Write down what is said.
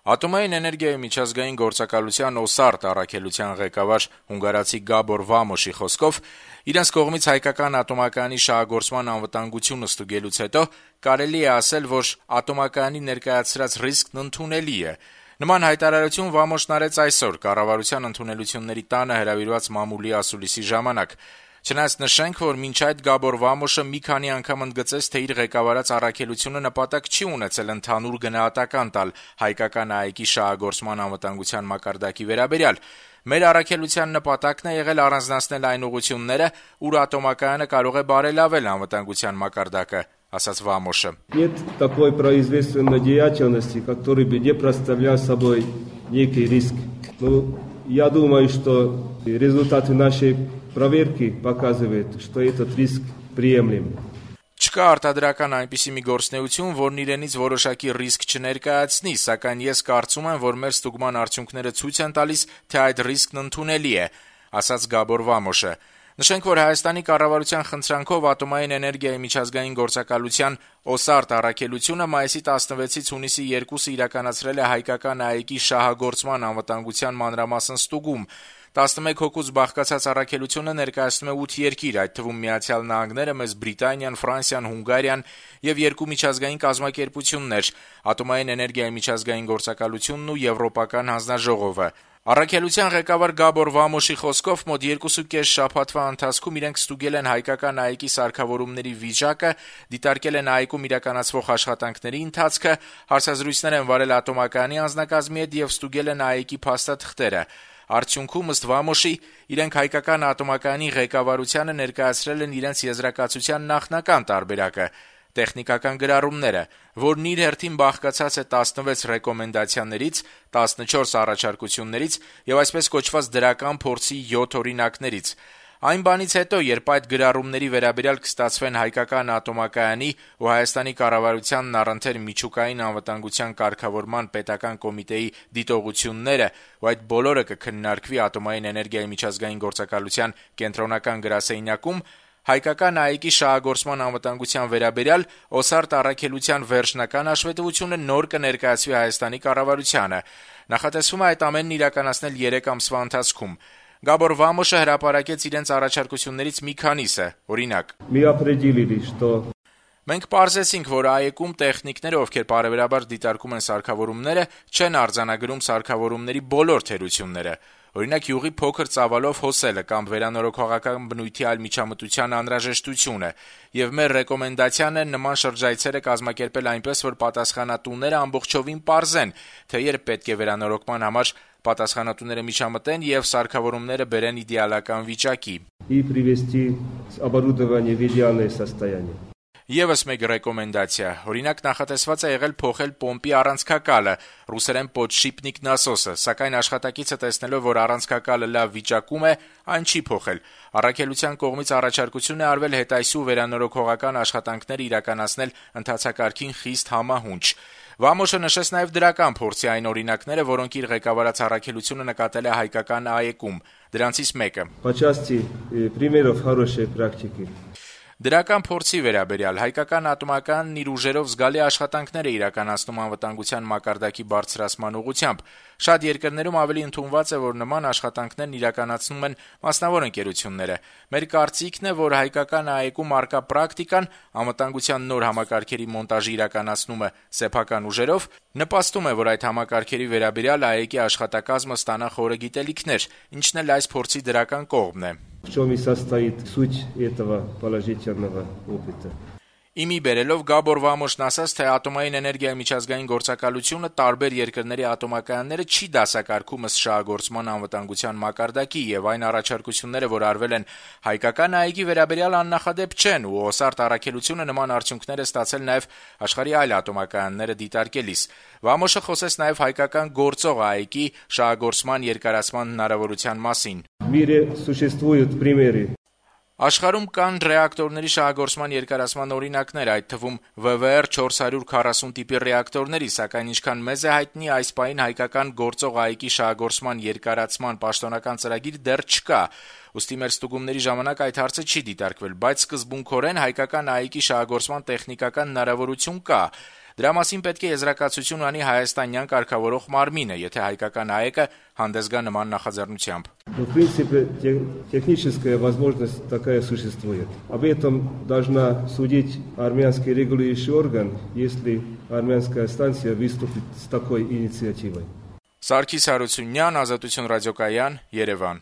Ատոմային էներգիայի միջազգային գործակալության ՕՍԱՐՏ առաքելության ղեկավար հունգարացի Գաբոր Վամոշի խոսքով իրենց կողմից հայկական ատոմակայանի շահագործման անվտանգությունը ստուգելուց հետո կարելի է ասել, որ ատոմակայանի ներկայացրած ռիսկն ընդունելի է։ Նման հայտարարություն Վամոշն արեց այսօր կառավարության ընդունելությունների տանը հրավիրված մամուլի ասուլիսի ժամանակ։ Չնայած նշենք, որ մինչ այդ Գաբոր Վամոշը մի քանի անգամ ընդգծեց, թե իր ղեկավարած առաքելությունը նպատակ չի ունեցել ընդհանուր գնահատական տալ հայկական ԱԷԿ-ի շահագործման անվտանգության մակարդակի վերաբերյալ։ Մեր առաքելության նպատակն է եղել առանձնացնել այն ուղղությունները, ուր ատոմակայանը կարող է բարելավել անվտանգության մակարդակը, ասաց Վամոշը։ Нет такой производственной деятельности, который бы не представлял собой некий риск. Я думаю, что результаты нашей проверки показывают, что этот риск приемлем. Չկա արտադրական այնպիսի մի գործնեություն, որն իրենից որոշակի ռիսկ չներկայացնի, սակայն ես կարծում եմ, որ մեր ստուգման արդյունքները ցույց են տալիս, թե այդ ռիսկն ընդունելի է, ասաց Գաբոր Վամոշը։ Նշենք, որ Հայաստանի կառավարության խնդրանքով Ատոմային էներգիայի միջազգային գործակալության ՕՍԱՐՏ առաքելությունը մայիսի 16-ից հունիսի 2-ը իրականացրել է հայկական ԱԷԿ-ի շահագործման անվտանգության մանրամասն ստուգում։ 11 հոգուց բաղկացած առաքելությունը ներկայացնում է 8 երկիր, այդ թվում Միացյալ Նահանգները, Մեծ Բրիտանիան, Ֆրանսիան, Հունգարիան եւ 2 միջազգային կազմակերպություններ՝ Ատոմային էներգիայի միջազգային գործակալությունն ու Եվրոպական հանձնաժողովը։ Առաքելության ղեկավար Գաբոր Վամոշի խոսքով մոտ 2.5 շաբաթվա ընթացքում իրենք ստուգել են հայկական ԱԷԿ-ի սարքավորումների վիճակը, դիտարկել են ԱԷԿ-ում իրականացվող աշխատանքների ընթացքը, հարցազրույցներ են վարել ատոմակայանի անձնակազմի հետ եւ ստուգել են ԱԷԿ-ի փաստաթղթերը։ Արդյունքում, ըստ Վամոշի, իրենք հայկական ատոմակայանի ղեկավարությանը ներկայացրել են իրենց եզրակացության նախնական տարբերակը՝ տեխնիկական գրառումները, որն իր հերթին բաղկացած է 16 ռեկոմենդացիաներից, 14 առաջարկություններից եւ այսպես կոչված դրական փորձի 7 օրինակներից։ Այն բանից հետո, երբ այդ գրառումների վերաբերյալ կստացվեն հայկական ատոմակայանի ու Հայաստանի կառավարությանն առընթեր միջուկային անվտանգության կարգավորման պետական կոմիտեի դիտողությունները, ու այդ բոլորը կքննարկվի Ատոմային էներգիայի միջազգային գործակալության կենտրոնական գրասենյակում, հայկական ԱԷԿ-ի շահագործման անվտանգության վերաբերյալ ՕՍԱՐՏ առաքելության վերջնական հաշվետվությունը նոր կներկայացվի Հայաստանի կառավարությանը։ Նախատեսվում է այդ ամենն իրականացնել 3 ամսվա ընթացքում։ Գաբոր Վամոշը հրապարակեց իրենց առաջարկություններից մի քանիսը, օրինակ. Մենք պարզեցինք, որ ԱԵԿ-ում տեխնիկները, ովքեր բարեբերաբար դիտարկում են սարքավորումները, չեն արձանագրում սարքավորումների բոլոր թերությունները։ Օրինակ, յուղի փոքր ծավալով հոսելը կամ վերանորոգողական բնույթի այլ միջամտության անհրաժեշտությունը, եւ մեր ռեկոմենդացիան է նման շրջայցերը կազմակերպել այնպես, որ պատասխանատուները ամբողջովին պարզեն, թե երբ պետք է վերանորոգման համար պատասխանատուները միջամտեն եւ սարքավորումները բերեն իդեալական վիճակի։ Եվս մեկ ռեկոմենդացիա, օրինակ նախատեսված է եղել փոխել պոմպի առանցքակալը, ռուսերեն «podshipnik насосы», սակայն աշխատակիցը տեսնելով, որ առանցքակալը լավ վիճակում է, այն չի փոխել։ Առաքելության կողմից առաջարկություն է արվել հետայսու վերանորոգողական աշխատանքներ իրականացնել ընթացակարգին խիստ համահունչ։ Վամոշը նշեց նաև դրական փորձի այն օրինակները, որոնք իր ղեկավարած առաքելությունը նկատել է հայկական ԱԵԿ-ում։ Դրանցից մեկը. Դրական փորձի վերաբերյալ հայկական ատոմականն իր ուժերով զգալի աշխատանքներ է իրականացնում անվտանգության մակարդակի բարձրացման ուղղությամբ։ Շատ երկրներում ավելի ընդունված է, որ նման աշխատանքներն իրականացնում են մասնավոր ընկերությունները։ Մեր կարծիքն է, որ հայկական ԱԵԿ-ում առկա պրակտիկան անվտանգության նոր համակարգերի մոնտաժի իրականացումը սեփական ուժերով նպաստում է, որ այդ համակարգերի վերաբերյալ ԱԵԿ-ի աշխատակազմը ստանա խորը գիտելիքներ, ինչն էլ այս փորձի դրական կողմն է։ В чем и состоит суть этого положительного опыта. Իմի բերելով Գաբոր Վամոշն ասաց, թե Ատոմային էներգիայի միջազգային գործակալությունը տարբեր երկրների ատոմակայանները չի դասակարգում ըստ շահագործման անվտանգության մակարդակի եւ այն առաջարկությունները, որ արվել են հայկական ԱԵԿ-ի վերաբերյալ աննախադեպ չեն ու ՕՍԱՐՏ առաքելությունը նման արդյունքներ է ստացել նաեւ աշխարհի այլ ատոմակայանները դիտարկելիս։ Վամոշը խոսեց նաեւ հայկական գործող ԱԵԿ-ի շահագործման երկարացման հնարավորության մասին։ Աշխարհում կան ռեակտորների շահագործման երկարացման օրինակներ, այդ թվում VVR 440 տիպի ռեակտորների, սակայն ինչքան մեզ է հայտնի, այս պահին հայկական գործող ԱԵԿ-ի շահագործման երկարացման պաշտոնական ծրագիր դեռ չկա։ Ուստի մեր ստուգումների ժամանակ այդ հարցը չի դիտարկվել, բայց սկզբունքորեն հայկական ԱԵԿ-ի շահագործման տեխնիկական հնարավորություն կա։ Դրա մասին պետք է եզրակացություն անի հայաստանյան կարգավորող մարմինը, եթե հայկական ԱԵԿ-ը հանդես գա նման նախաձեռնությամբ. В принципе, техническая возможность такая существует. Об этом должна судить армянский регулирующий орган, если армянская станция выступит с такой инициативой. Սարգիս Հարությունյան, Ազատություն ռադիոկայան, Երևան.